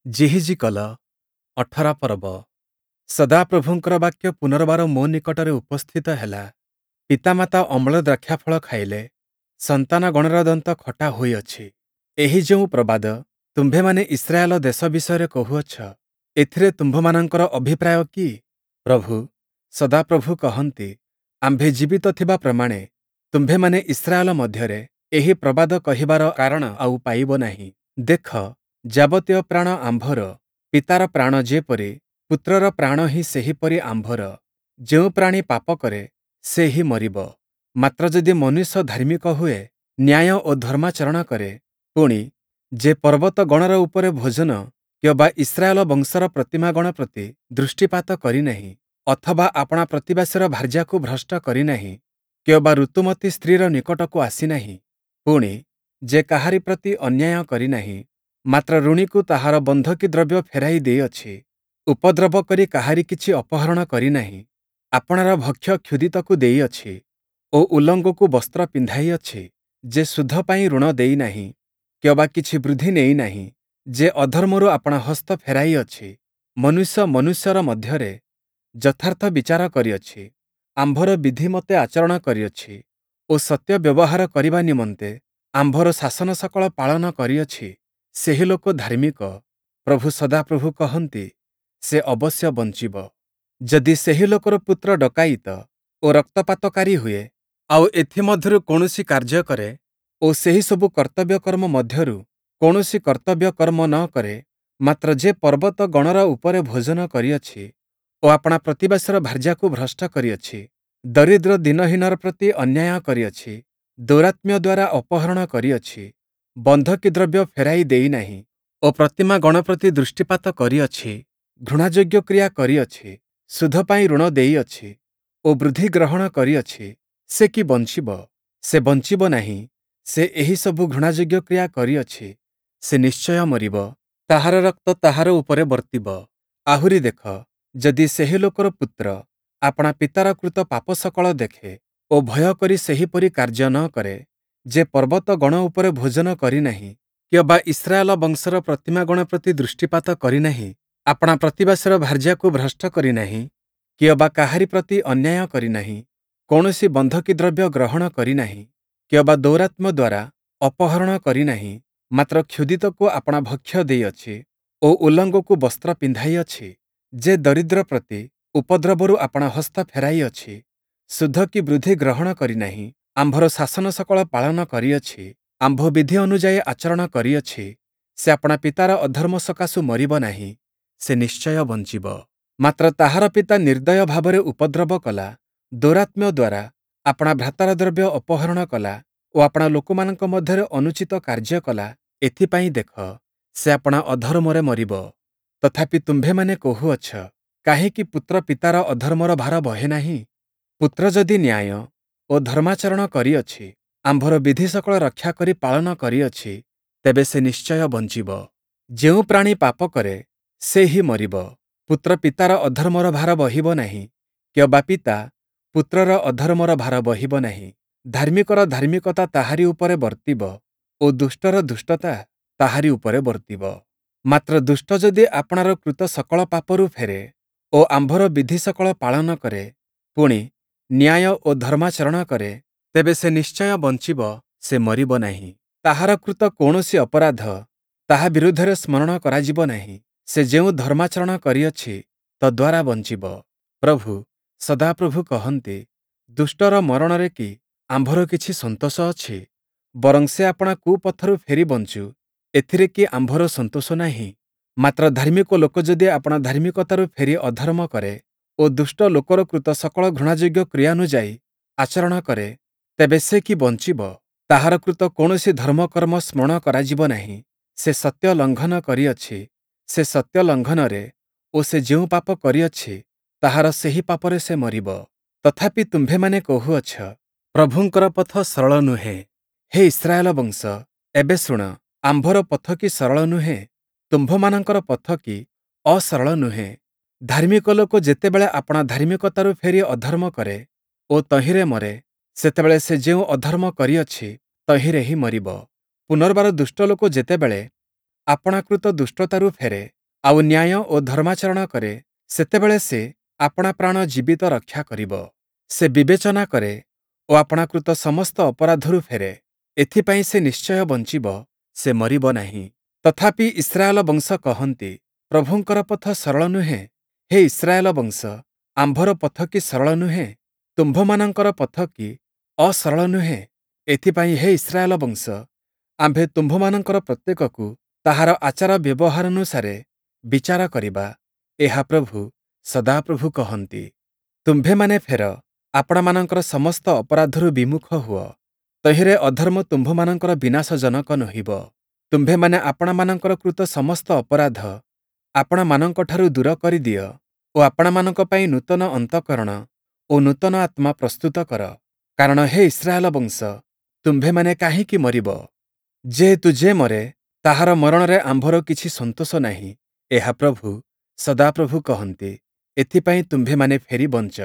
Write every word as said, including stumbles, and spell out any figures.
ଯିହିଜିକଲ ଅଠର ପର୍ବ। ସଦାପ୍ରଭୁଙ୍କର ବାକ୍ୟ ପୁନର୍ବାର ମୋ ନିକଟରେ ଉପସ୍ଥିତ ହେଲା, ପିତାମାତା ଅମ୍ଳ ଦ୍ରାକ୍ଷାଫଳ ଖାଇଲେ, ସନ୍ତାନଗଣର ଦନ୍ତ ଖଟା ହୋଇଅଛି। ଏହି ଯେଉଁ ପ୍ରବାଦ ତୁମ୍ଭେମାନେ ଇସ୍ରାଏଲ ଦେଶ ବିଷୟରେ କହୁଅଛ, ଏଥିରେ ତୁମ୍ଭମାନଙ୍କର ଅଭିପ୍ରାୟ କି? ପ୍ରଭୁ, ସଦାପ୍ରଭୁ କହନ୍ତି, ଆମ୍ଭେ ଜୀବିତ ଥିବା ପ୍ରମାଣେ ତୁମ୍ଭେମାନେ ଇସ୍ରାଏଲ ମଧ୍ୟରେ ଏହି ପ୍ରବାଦ କହିବାର କାରଣ ଆଉ ପାଇବ ନାହିଁ। ଦେଖ, ଯାବତୀୟ ପ୍ରାଣ ଆମ୍ଭର, ପିତାର ପ୍ରାଣ ଯେପରି, ପୁତ୍ରର ପ୍ରାଣ ହିଁ ସେହିପରି ଆମ୍ଭର। ଯେଉଁ ପ୍ରାଣୀ ପାପ କରେ, ସେ ହିଁ ମରିବ। ମାତ୍ର ଯଦି ମନୁଷ୍ୟ ଧାର୍ମିକ ହୁଏ, ନ୍ୟାୟ ଓ ଧର୍ମାଚରଣ କରେ, ପୁଣି, ଯେ ପର୍ବତଗଣର ଉପରେ ଭୋଜନ କିଅବା ଇସ୍ରାଏଲ ବଂଶର ପ୍ରତିମାଗଣ ପ୍ରତି ଦୃଷ୍ଟିପାତ କରି ନାହିଁ, ଅଥବା ଆପଣା ପ୍ରତିବାସୀର ଭାର୍ଯ୍ୟାକୁ ଭ୍ରଷ୍ଟ କରି ନାହିଁ, କିଅବା ଋତୁମତୀ ସ୍ତ୍ରୀର ନିକଟକୁ ଆସି ନାହିଁ, ପୁଣି, ଯେ କାହାରି ପ୍ରତି ଅନ୍ୟାୟ କରି ନାହିଁ, ମାତ୍ର ଋଣୀକୁ ତାହାର ବନ୍ଧକି ଦ୍ରବ୍ୟ ଫେରାଇ ଦେଇଅଛି, ଉପଦ୍ରବ କରି କାହାରି କିଛି ଅପହରଣ କରି ନାହିଁ, ଆପଣାର ଭକ୍ଷ୍ୟ କ୍ଷୁଧିତକୁ ଦେଇଅଛି ଓ ଉଲଙ୍ଗକୁ ବସ୍ତ୍ର ପିନ୍ଧାଇଅଛି, ଯେ ସୁଧ ପାଇଁ ଋଣ ଦେଇ ନାହିଁ, କିଅବା କିଛି ବୃଦ୍ଧି ନେଇ ନାହିଁ, ଯେ ଅଧର୍ମରୁ ଆପଣା ହସ୍ତ ଫେରାଇଅଛି, ମନୁଷ୍ୟ ମନୁଷ୍ୟର ମଧ୍ୟରେ ଯଥାର୍ଥ ବିଚାର କରିଅଛି, ଆମ୍ଭର ବିଧିମତେ ଆଚରଣ କରିଅଛି ଓ ସତ୍ୟ ବ୍ୟବହାର କରିବା ନିମନ୍ତେ ଆମ୍ଭର ଶାସନ ସକଳ ପାଳନ କରିଅଛି, ସେହି ଲୋକ ଧାର୍ମିକ, ପ୍ରଭୁ ସଦାପ୍ରଭୁ କହନ୍ତି, ସେ ଅବଶ୍ୟ ବଞ୍ଚିବ। ଯଦି ସେହି ଲୋକର ପୁତ୍ର ଡକାୟତ ଓ ରକ୍ତପାତକାରୀ ହୁଏ, ଆଉ ଏଥିମଧ୍ୟରୁ କୌଣସି କାର୍ଯ୍ୟ କରେ ଓ ସେହିସବୁ କର୍ତ୍ତବ୍ୟ କର୍ମ ମଧ୍ୟରୁ କୌଣସି କର୍ତ୍ତବ୍ୟ କର୍ମ ନ କରେ, ମାତ୍ର ଯେ ପର୍ବତଗଣର ଉପରେ ଭୋଜନ କରିଅଛି ଓ ଆପଣା ପ୍ରତିବାସୀର ଭାର୍ଯ୍ୟାକୁ ଭ୍ରଷ୍ଟ କରିଅଛି, ଦରିଦ୍ର ଦୀନହୀନର ପ୍ରତି ଅନ୍ୟାୟ କରିଅଛି, ଦୌରାତ୍ମ୍ୟ ଦ୍ୱାରା ଅପହରଣ କରିଅଛି, ବନ୍ଧକି ଦ୍ରବ୍ୟ ଫେରାଇ ଦେଇନାହିଁ ଓ ପ୍ରତିମାଗଣ ପ୍ରତି ଦୃଷ୍ଟିପାତ କରିଅଛି, ଘୃଣାଯୋଗ୍ୟ କ୍ରିୟା କରିଅଛି, ସୁଧ ପାଇଁ ଋଣ ଦେଇଅଛି ଓ ବୃଦ୍ଧି ଗ୍ରହଣ କରିଅଛି, ସେ କି ବଞ୍ଚିବ? ସେ ବଞ୍ଚିବ ନାହିଁ। ସେ ଏହିସବୁ ଘୃଣାଯୋଗ୍ୟ କ୍ରିୟା କରିଅଛି, ସେ ନିଶ୍ଚୟ ମରିବ, ତାହାର ରକ୍ତ ତାହାର ଉପରେ ବର୍ତ୍ତିବ। ଆହୁରି ଦେଖ, ଯଦି ସେହି ଲୋକର ପୁତ୍ର ଆପଣା ପିତାର କୃତ ପାପ ସକଳ ଦେଖେ ଓ ଭୟ କରି ସେହିପରି କାର୍ଯ୍ୟ ନ କରେ, ଯେ ପର୍ବତଗଣ ଉପରେ ଭୋଜନ କରିନାହିଁ, କିଅବା ଇସ୍ରାଏଲ ବଂଶର ପ୍ରତିମାଗଣ ପ୍ରତି ଦୃଷ୍ଟିପାତ କରିନାହିଁ, ଆପଣା ପ୍ରତିବାସୀର ଭାର୍ଯ୍ୟାକୁ ଭ୍ରଷ୍ଟ କରିନାହିଁ, କିଅବା କାହାରି ପ୍ରତି ଅନ୍ୟାୟ କରିନାହିଁ, କୌଣସି ବନ୍ଧକି ଦ୍ରବ୍ୟ ଗ୍ରହଣ କରିନାହିଁ, କିଅବା ଦୌରାତ୍ମ୍ୟ ଦ୍ୱାରା ଅପହରଣ କରିନାହିଁ, ମାତ୍ର କ୍ଷୁଧିତକୁ ଆପଣା ଭକ୍ଷ୍ୟ ଦେଇଅଛି ଓ ଉଲଙ୍ଗକୁ ବସ୍ତ୍ର ପିନ୍ଧାଇଅଛି, ଯେ ଦରିଦ୍ର ପ୍ରତି ଉପଦ୍ରବରୁ ଆପଣା ହସ୍ତ ଫେରାଇଅଛି, ସୁଧ କି ବୃଦ୍ଧି ଗ୍ରହଣ କରିନାହିଁ, ଆମ୍ଭର ଶାସନ ସକଳ ପାଳନ କରିଅଛି, ଆମ୍ଭ ବିଧି ଅନୁଯାୟୀ ଆଚରଣ କରିଅଛି, ସେ ଆପଣା ପିତାର ଅଧର୍ମ ସକାଶୁ ମରିବ ନାହିଁ, ସେ ନିଶ୍ଚୟ ବଞ୍ଚିବ। ମାତ୍ର ତାହାର ପିତା ନିର୍ଦ୍ଦୟ ଭାବରେ ଉପଦ୍ରବ କଲା, ଦୌରାତ୍ମ୍ୟ ଦ୍ୱାରା ଆପଣା ଭ୍ରାତାର ଦ୍ରବ୍ୟ ଅପହରଣ କଲା ଓ ଆପଣା ଲୋକମାନଙ୍କ ମଧ୍ୟରେ ଅନୁଚିତ କାର୍ଯ୍ୟ କଲା, ଏଥିପାଇଁ ଦେଖ, ସେ ଆପଣା ଅଧର୍ମରେ ମରିବ। ତଥାପି ତୁମ୍ଭେମାନେ କହୁଅଛ, କାହିଁକି ପୁତ୍ର ପିତାର ଅଧର୍ମର ଭାର ବହେ ନାହିଁ? ପୁତ୍ର ଯଦି ନ୍ୟାୟ ଓ ଧର୍ମାଚରଣ କରିଅଛି, ଆମ୍ଭର ବିଧି ସକଳ ରକ୍ଷା କରି ପାଳନ କରିଅଛି, ତେବେ ସେ ନିଶ୍ଚୟ ବଞ୍ଚିବ। ଯେଉଁ ପ୍ରାଣୀ ପାପ କରେ, ସେ ହିଁ ମରିବ। ପୁତ୍ର ପିତାର ଅଧର୍ମର ଭାର ବହିବ ନାହିଁ, କିଅବା ପିତା ପୁତ୍ରର ଅଧର୍ମର ଭାର ବହିବ ନାହିଁ। ଧାର୍ମିକର ଧାର୍ମିକତା ତାହାରି ଉପରେ ବର୍ତ୍ତିବ ଓ ଦୁଷ୍ଟର ଦୁଷ୍ଟତା ତାହାରି ଉପରେ ବର୍ତ୍ତିବ। ମାତ୍ର ଦୁଷ୍ଟ ଯଦି ଆପଣାର କୃତ ସକଳ ପାପରୁ ଫେରେ ଓ ଆମ୍ଭର ବିଧି ସକଳ ପାଳନ କରେ, ପୁଣି ନ୍ୟାୟ ଓ ଧର୍ମାଚରଣ କରେ, ତେବେ ସେ ନିଶ୍ଚୟ ବଞ୍ଚିବ, ସେ ମରିବ ନାହିଁ। ତାହାର କୃତ କୌଣସି ଅପରାଧ ତାହା ବିରୁଦ୍ଧରେ ସ୍ମରଣ କରାଯିବ ନାହିଁ। ସେ ଯେଉଁ ଧର୍ମାଚରଣ କରିଅଛି, ତଦ୍ୱାରା ବଞ୍ଚିବ। ପ୍ରଭୁ, ସଦାପ୍ରଭୁ କହନ୍ତି, ଦୁଷ୍ଟର ମରଣରେ କି ଆମ୍ଭର କିଛି ସନ୍ତୋଷ ଅଛି? ବରଂ ସେ ଆପଣା କୁପଥରୁ ଫେରି ବଞ୍ଚୁ, ଏଥିରେ କି ଆମ୍ଭର ସନ୍ତୋଷ ନାହିଁ? ମାତ୍ର ଧାର୍ମିକ ଲୋକ ଯଦି ଆପଣା ଧାର୍ମିକତାରୁ ଫେରି ଅଧର୍ମ କରେ ଓ ଦୁଷ୍ଟ ଲୋକର କୃତ ସକଳ ଘୃଣାଯୋଗ୍ୟ କ୍ରିୟାନୁଯାୟୀ ଆଚରଣ କରେ, ତେବେ ସେ କି ବଞ୍ଚିବ? ତାହାର କୃତ କୌଣସି ଧର୍ମକର୍ମ ସ୍ମରଣ କରାଯିବ ନାହିଁ। ସେ ସତ୍ୟ ଲଙ୍ଘନ କରିଅଛି, ସେ ସତ୍ୟ ଲଙ୍ଘନରେ ଓ ସେ ଯେଉଁ ପାପ କରିଅଛି, ତାହାର ସେହି ପାପରେ ସେ ମରିବ। ତଥାପି ତୁମ୍ଭେମାନେ କହୁଅଛ, ପ୍ରଭୁଙ୍କର ପଥ ସରଳ ନୁହେଁ। ହେ ଇସ୍ରାଏଲ ବଂଶ, ଏବେ ଶୁଣ, ଆମ୍ଭର ପଥ କି ସରଳ ନୁହେଁ? ତୁମ୍ଭମାନଙ୍କର ପଥ କି ଅସରଳ ନୁହେଁ? ଧାର୍ମିକ ଲୋକ ଯେତେବେଳେ ଆପଣା ଧାର୍ମିକତାରୁ ଫେରି ଅଧର୍ମ କରେ ଓ ତହିଁରେ ମରେ, ସେତେବେଳେ ସେ ଯେଉଁ ଅଧର୍ମ କରିଅଛି, ତହିଁରେ ହିଁ ମରିବ। ପୁନର୍ବାର ଦୁଷ୍ଟ ଲୋକ ଯେତେବେଳେ ଆପଣାକୃତ ଦୁଷ୍ଟତାରୁ ଫେରେ, ଆଉ ନ୍ୟାୟ ଓ ଧର୍ମାଚରଣ କରେ, ସେତେବେଳେ ସେ ଆପଣା ପ୍ରାଣ ଜୀବିତ ରକ୍ଷା କରିବ। ସେ ବିବେଚନା କରେ ଓ ଆପଣାକୃତ ସମସ୍ତ ଅପରାଧରୁ ଫେରେ, ଏଥିପାଇଁ ସେ ନିଶ୍ଚୟ ବଞ୍ଚିବ, ସେ ମରିବ ନାହିଁ। ତଥାପି ଇସ୍ରାଏଲ ବଂଶ କହନ୍ତି, ପ୍ରଭୁଙ୍କର ପଥ ସରଳ ନୁହେଁ। ହେ ଇସ୍ରାଏଲ ବଂଶ, ଆମ୍ଭର ପଥ କି ସରଳ ନୁହେଁ? ତୁମ୍ଭମାନଙ୍କର ପଥ କି ଅସରଳ ନୁହେଁ? ଏଥିପାଇଁ ହେ ଇସ୍ରାଏଲ ବଂଶ, ଆମ୍ଭେ ତୁମ୍ଭମାନଙ୍କର ପ୍ରତ୍ୟେକକୁ ତାହାର ଆଚାର ବ୍ୟବହାରାନୁସାରେ ବିଚାର କରିବା, ଏହା ପ୍ରଭୁ ସଦାପ୍ରଭୁ କହନ୍ତି। ତୁମ୍ଭେମାନେ ଫେର, ଆପଣାମାନଙ୍କର ସମସ୍ତ ଅପରାଧରୁ ବିମୁଖ ହୁଅ, ତହିଁରେ ଅଧର୍ମ ତୁମ୍ଭମାନଙ୍କର ବିନାଶଜନକ ନୋହିବ। ତୁମ୍ଭେମାନେ ଆପଣାମାନଙ୍କର କୃତ ସମସ୍ତ ଅପରାଧ ଆପଣାମାନଙ୍କଠାରୁ ଦୂର କରିଦିଅ ଓ ଆପଣାମାନଙ୍କ ପାଇଁ ନୂତନ ଅନ୍ତଃକରଣ ଓ ନୂତନ ଆତ୍ମା ପ୍ରସ୍ତୁତ କର। କାରଣ ହେ ଇସ୍ରାଏଲ ବଂଶ, ତୁମ୍ଭେମାନେ କାହିଁକି ମରିବ? ଯେହେତୁ ଯେ ମରେ, ତାହାର ମରଣରେ ଆମ୍ଭର କିଛି ସନ୍ତୋଷ ନାହିଁ, ଏହା ପ୍ରଭୁ ସଦାପ୍ରଭୁ କହନ୍ତି। ଏଥିପାଇଁ ତୁମ୍ଭେମାନେ ଫେରି ବଞ୍ଚ।